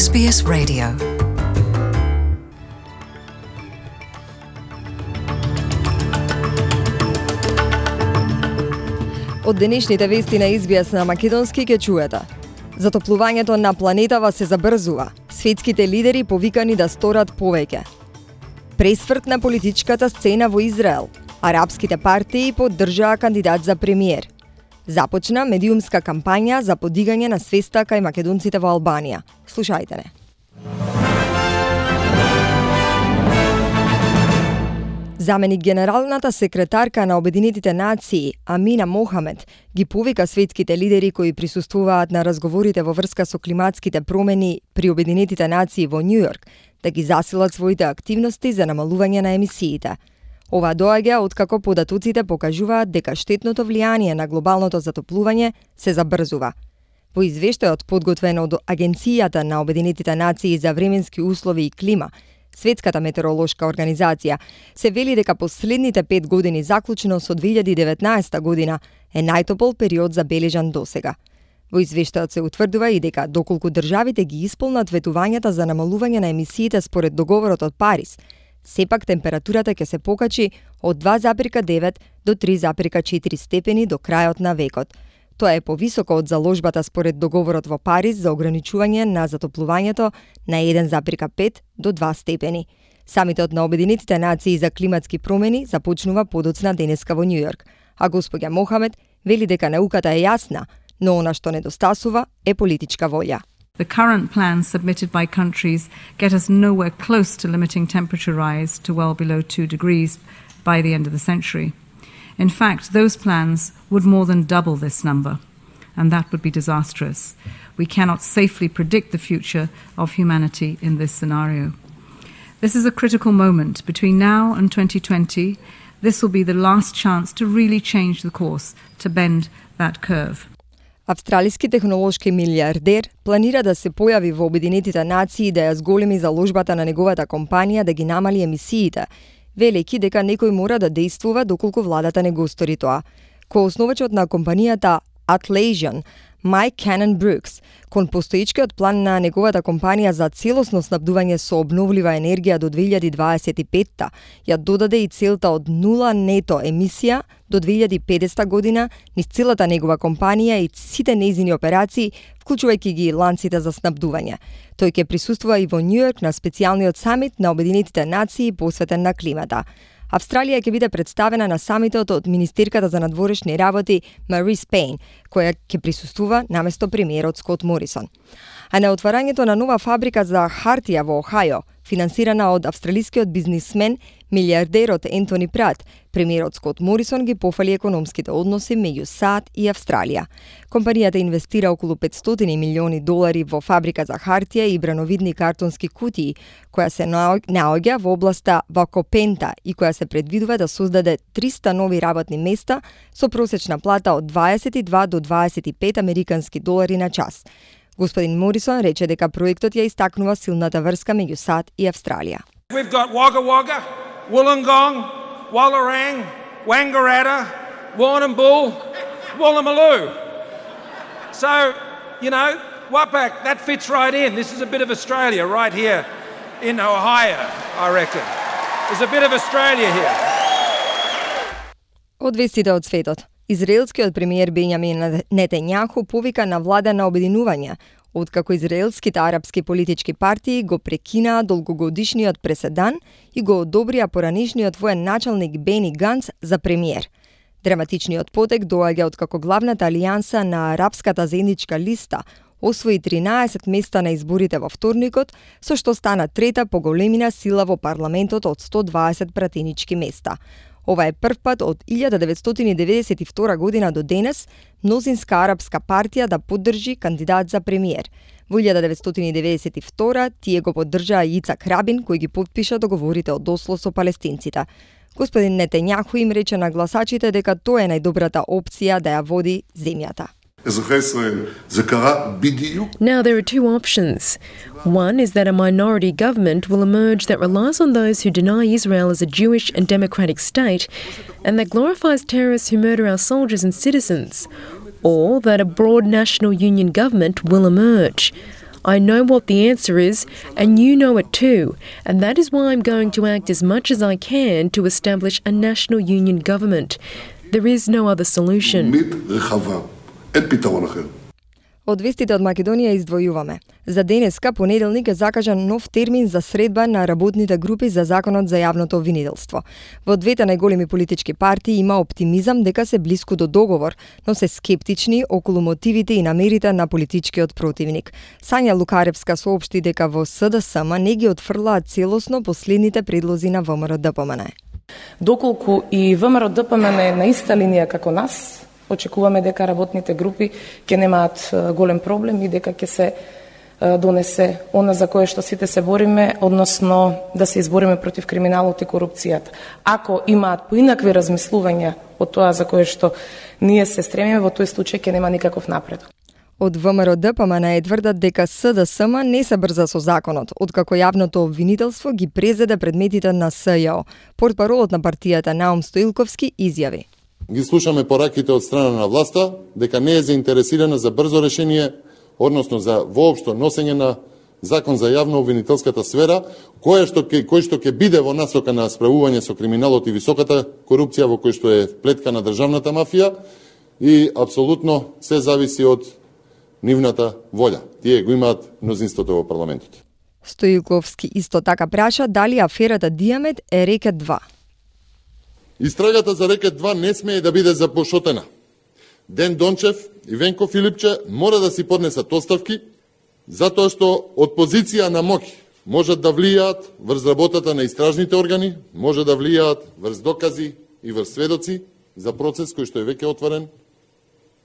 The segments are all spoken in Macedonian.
SBS Radio. Од денешните вести на SBS на македонски ќе чуете. Затоплувањето на планетава се забрзува. Светските лидери повикани да сторат повеќе. Пресврт на политичката сцена во Израел. Арапските партии поддржаа кандидат за премиер. Започна медиумска кампања за подигање на свеста кај македонците во Албанија. Слушајте не. Заменик генералната секретарка на Обединетите нации Амина Мохамед ги повика светските лидери кои присуствуваат на разговорите во врска со климатските промени при Обединетите нации во Њујорк да ги засилат своите активности за намалување на емисиите. Ова доаѓа откако податоците покажуваат дека штетното влијание на глобалното затоплување се забрзува. Во извештајот подготвен од Агенцијата на Обединетите нации за временски услови и клима, Светската метеоролошка организација, се вели дека последните 5 години заклучно со 2019 година е најтопол период забележан досега. Во извештајот се утврдува и дека доколку државите ги исполнат ветувањата за намалување на емисиите според договорот од Париз, сепак температурата ќе се покачи од 2,9 до 3,4 степени до крајот на векот. Тоа е повисоко од заложбата според договорот во Париз за ограничување на затоплувањето на 1,5 до 2 степени. Самитот на Обединетите нации за климатски промени започнува подоцна денеска во Њујорк, а господја Мохамед вели дека науката е јасна, но она што недостасува е политичка волја. The current plans submitted by countries get us nowhere close to limiting temperature rise to well below 2 degrees by the end of the century. In fact, those plans would more than double this number, and that would be disastrous. We cannot safely predict the future of humanity in this scenario. This is a critical moment. Between now and 2020, this will be the last chance to really change the course, to bend that curve. Австралиски технолошки милиардер планира да се појави во Обединетите нации да ја зголеми заложбата на неговата компанија да ги намали емисиите, велејќи дека некој мора да действува доколку владата не го стори тоа. Коосновачот на компанијата Atlassian, Майк Канен Брукс, кон постоечкиот план на неговата компанија за целосно снабдување со обновлива енергија до 2025-та, ја додаде и целта од 0 нето емисија до 2050 година низ целата негова компанија и сите нејзини операции, вклучувајќи ги ланците за снабдување. Тој ќе присуствува и во Њујорк на специјалниот самит на Обединетите нации посветен на климата. Австралија ќе биде представена на самитот од министерката за надворешни работи Марис Пейн, која ќе присуствува наместо премиерот Скот Морисон. А на отварањето на нова фабрика за хартија во Охајо, финансирана од австралискиот бизнисмен, милиардерот Ентони Прат, премиерот Скот Морисон ги пофали економските односи меѓу САД и Австралија. Компанијата инвестира околу $500 милиони во фабрика за хартија и брановидни картонски кутии, која се наоѓа во областа Вакопента и која се предвидува да создаде 300 нови работни места со просечна плата од 22 до 25 американски долари на час. Господин Морисон рече дека проектот ја истакнува силната врска меѓу САД и Австралија. We've got Wagga Wagga, Wollongong, Wallarang, Wangaratta, Warrnambool, Woolloomooloo. So, Wapak, that fits right in. This is a bit of Australia right here in Ohio, I reckon. There's a bit of Australia here. Од вестите од светот. Израелскиот премиер Бенјамин Нетањаху повика на влада на обединување, откако израелските арапски политички партии го прекинаа долгогодишниот преседан и го одобрија поранешниот воен началник Бени Ганц за премиер. Драматичниот потек доаѓа откако главната алијанса на арапската заедничка листа освои 13 места на изборите во вторникот, со што стана трета по големина сила во парламентот од 120 пратенички места. Ова е прв пат од 1992 година до денес мнозинска арапска партија да поддржи кандидат за премиер. Во 1992 тие го поддржаа Ицак Рабин, кој ги потпиша договорите од Осло со палестинците. Господин Нетањаху им рече на гласачите дека тоа е најдобрата опција да ја води земјата. Now there are two options. One is that a minority government will emerge that relies on those who deny Israel as a Jewish and democratic state and that glorifies terrorists who murder our soldiers and citizens, or that a broad national union government will emerge. I know what the answer is, and you know it too, and that is why I'm going to act as much as I can to establish a national union government. There is no other solution. Од вестите од Македонија издвојуваме. За денеска, понеделник, е закажан нов термин за средба на работните групи за законот за јавното обвинителство. Во двете најголеми политички партии има оптимизам дека се блиску до договор, но се скептични околу мотивите и намерите на политичкиот противник. Сања Лукаревска соопшти дека во СДСМ не ги отфрлаат целосно последните предлози на ВМРО-ДПМН. Доколку и ВМРО-ДПМН е на иста линија како нас, очекуваме дека работните групи ќе немаат голем проблем и дека ќе се донесе она за кое што сите се бориме, односно да се избориме против криминалот и корупцијата. Ако имаат поинакви размислувања од тоа за кое што ние се стремиме, во тој случај ќе нема никаков напредок. Од ВМРО-ДПМН тврдат дека СДСМ не се брза со законот, откако јавното обвинителство ги презеде предметите на СЈО. Портпаролот на партијата Наум Стоилковски изјави: Ги слушаме пораките од страна на власта дека не е заинтересирана за брзо решение, односно за воопшто носење на закон за јавно обвинителската сфера, кој што ќе биде во насока на справување со криминалот и високата корупција во кој што е вплеткана државната мафија, и апсолутно се зависи од нивната волја. Тие го имаат мнозинството во парламентот. Стоилковски исто така праша дали аферата Диамет е рекет 2. Истрагата за рекет 2 не смее да биде запошотена. Ден Дончев и Венко Филипче мора да си поднесат оставки, затоа што од позиција на моќ можат да влијаат врз работата на истражните органи, може да влијаат врз докази и врз сведоци за процес кој што е веќе отворен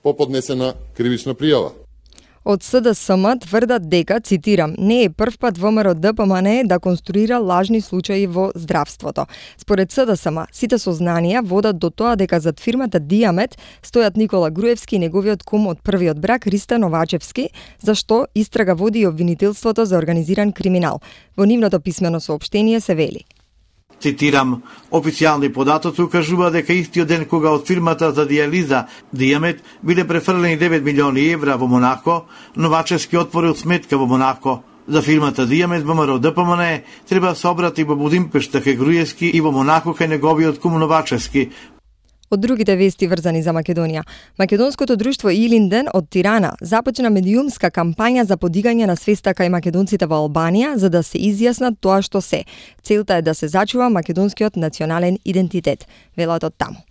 по поднесена кривична пријава. Од СДСМ тврдат дека, цитирам, не е прв пат ВМРО-ДПМН да конструира лажни случаи во здравството. Според СДСМ, сите сознанија водат до тоа дека зад фирмата Диамет стојат Никола Груевски и неговиот кум од првиот брак Риста Новачевски, за што истрага води и обвинителството за организиран криминал. Во нивното писмено соопштение се вели: Цитирам, официјални податоци укажува дека истиот ден кога од фирмата за диализа Диамет биле префрлени 9 милиони евра во Монако, Новачевски отворил сметка во Монако. За фирмата Диамет ВМРО-ДПМН треба да се обрати во Будимпешта кај Груевски и во Монако кај неговиот кум Новачевски. Од другите вести врзани за Македонија, македонското друштво Илинден од Тирана започна медиумска кампања за подигање на свеста кај македонците во Албанија за да се изјаснат тоа што се. Целта е да се зачува македонскиот национален идентитет, велат од таму.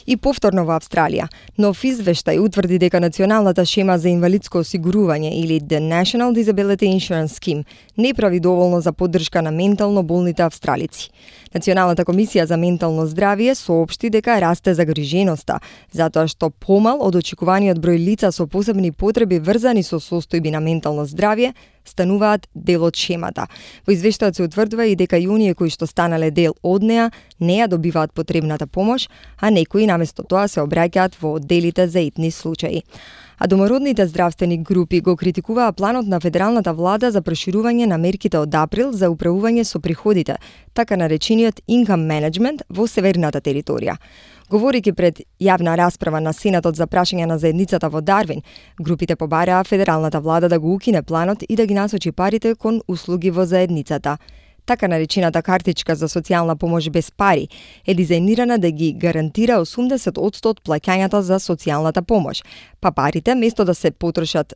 И повторно во Австралија, нов извештај утврди дека националната шема за инвалидско осигурување или The National Disability Insurance Scheme не прави доволно за поддршка на ментално болните австралици. Националната комисија за ментално здравје соопшти дека расте загриженоста, затоа што помал од очекуваниот број лица со посебни потреби врзани со состојби на ментално здравје стануваат дел од шемата. Во извештајот се утврдува и дека и оние кои што станале дел од неа не ја добиваат потребната помош, а некои наместо тоа се обраќаат во одделите за итни случаи. А домородните здравствени групи го критикуваа планот на федералната влада за проширување на мерките од април за управување со приходите, така наречениот income management во северната територија. Говорики пред јавна расправа на Сенатот за прашање на заедницата во Дарвин, групите побараа федералната влада да го укине планот и да ги насочи парите кон услуги во заедницата. Така наречената картичка за социјална помош без пари е дизајнирана да ги гарантира 80% од плаќањата за социјалната помош, па парите место да се потрошат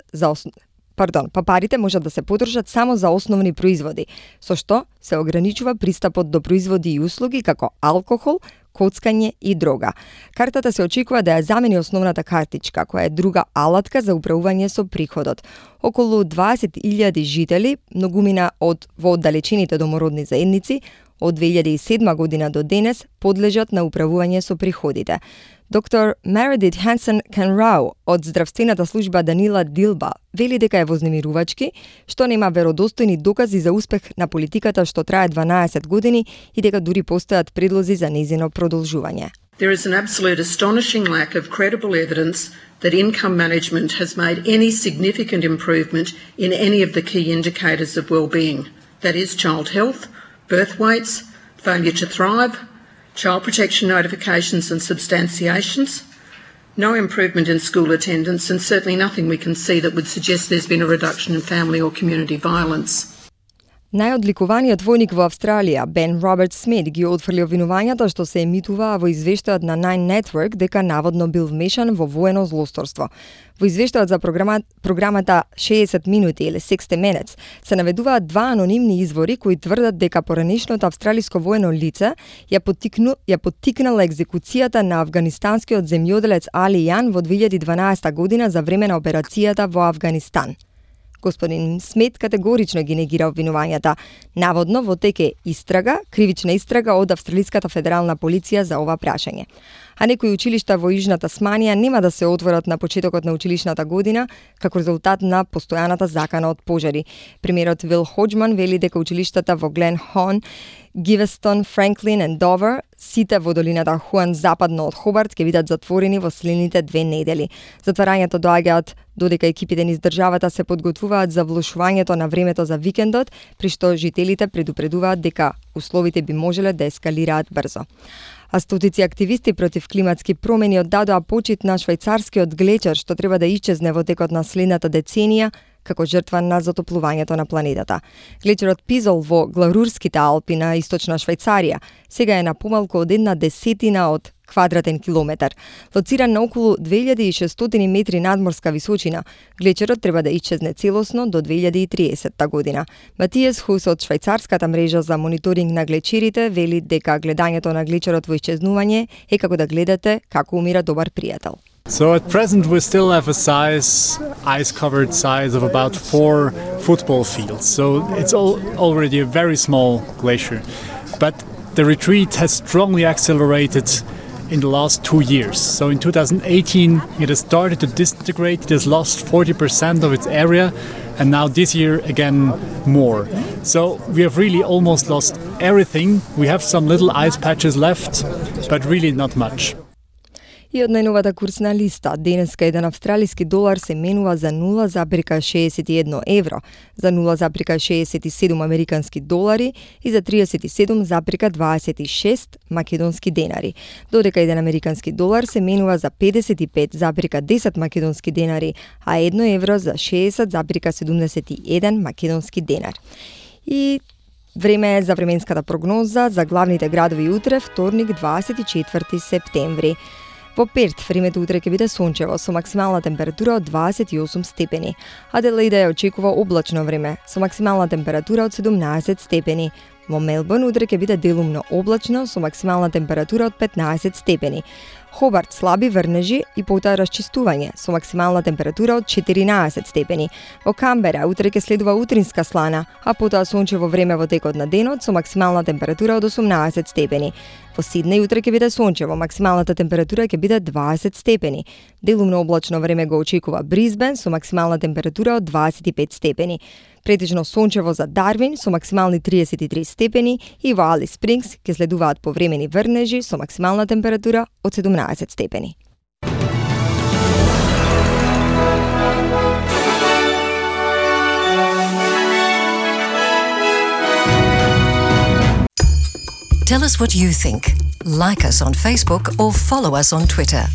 парите можат да се потрошат само за основни производи, со што се ограничува пристапот до производи и услуги како алкохол, коцкање и дрога. Картата се очекува да ја замени основната картичка, која е друга алатка за управување со приходот. Околу 20.000 жители, многумина во оддалечените домородни заедници, од 2007 година до денес подлежат на управување со приходите. Доктор Meredith Hansen-Canrau од здравствената служба Данила Дилба вели дека е вознемирувачки, што нема веродостојни докази за успех на политиката што трае 12 години и дека дури постојат предлози за нејзино продолжување. There is an absolute astonishing lack of credible evidence that income management has made any significant improvement in any of the key indicators of well-being. That is child health, birth weights, failure to thrive, child protection notifications and substantiations, No improvement in school attendance, and certainly nothing we can see that would suggest there's been a reduction in family or community violence. Најодликуваниот војник во Австралија, Бен Роберт Смит, ги отфрли обвинувањата што се емитуваа во извештајот на Nine Network дека наводно бил вмешан во воено злосторство. Во извештајот за програмата 60 минути или 60 Minutes се наведуваат два анонимни извори кои тврдат дека поранешното австралиско воено лице ја поттикнала екзекуцијата на афганистанскиот земјоделец Али Јан во 2012 година за време на операцијата во Авганистан. Господин Смит категорично ги негира обвинувањата. Наводно во тек е кривична истрага од Австралиската федерална полиција за ова прашање. А некои училишта во Јужна Тасманија нема да се отворат на почетокот на училишната година како резултат на постојаната закана од пожари. Премиерот Вил Хоџман вели дека училиштата во Глен Хон, Гивестон, Франклин и Довер, сите во долината Хуан западно од Хобарт, ќе бидат затворени во следните 2 недели. Затварањето доаѓаат додека екипите низ државата се подготвуваат за влошувањето на времето за викендот, при што жителите предупредуваат дека условите би можеле да ескалираат брзо. А стотици активисти против климатски промени оддадоа почит на швајцарскиот глечер што треба да исчезне во текот на следната деценија како жртва на затоплувањето на планетата. Глечерот Пизол во Гларурските Алпи на источна Швајцарија сега е на помалку од 1/10 од квадратен километар. Лоциран на околу 2600 метри надморска височина, глечерот треба да исчезне целосно до 2030 година. Матијас Хус од швајцарската мрежа за мониторинг на глечерите вели дека гледањето на глечерот во исчезнување е како да гледате како умира добар пријател. So at present we still have a ice-covered size of about 4 football fields. So it's already a very small glacier. But the retreat has strongly accelerated in the last 2 years. So in 2018 it has started to disintegrate, it has lost 40% of its area, and now this year again more. So we have really almost lost everything. We have some little ice patches left, but really not much. И од најновата курсна листа, денеска еден австралиски долар се менува за 0,61 евро, за 0,67 американски долари и за 37,26 македонски денари, додека еден американски долар се менува за 55,10 македонски денари, а 1 евро за 60,71 македонски денар. И време е за временската прогноза за главните градови утре, вторник, 24 септември. Во Перт времето утре ќе биде сончево со максимална температура од 28 степени. Аделаида ја очекува облачно време со максимална температура од 17 степени. Во Мелбурн утре ќе биде делумно облачно со максимална температура од 15 степени. Хобарт слаби врнежи и потоа расчистување со максимална температура од 14 степени. Во Камбера утре ќе следува утринска слана, а потоа сончево време во текот на денот со максимална температура од 18 степени. Во Сиднеј утре ќе биде сончево, максималната температура ќе биде 20 степени. Делумно облачно време го очекува Брисбен со максимална температура од 25 степени. Претежно сончево за Дарвин со максимални 33 степени и во Алис Спрингс ќе следуваат повремени врнежи со максимална температура од 17 степени. Tell us what you think. Like us on Facebook or follow us on Twitter.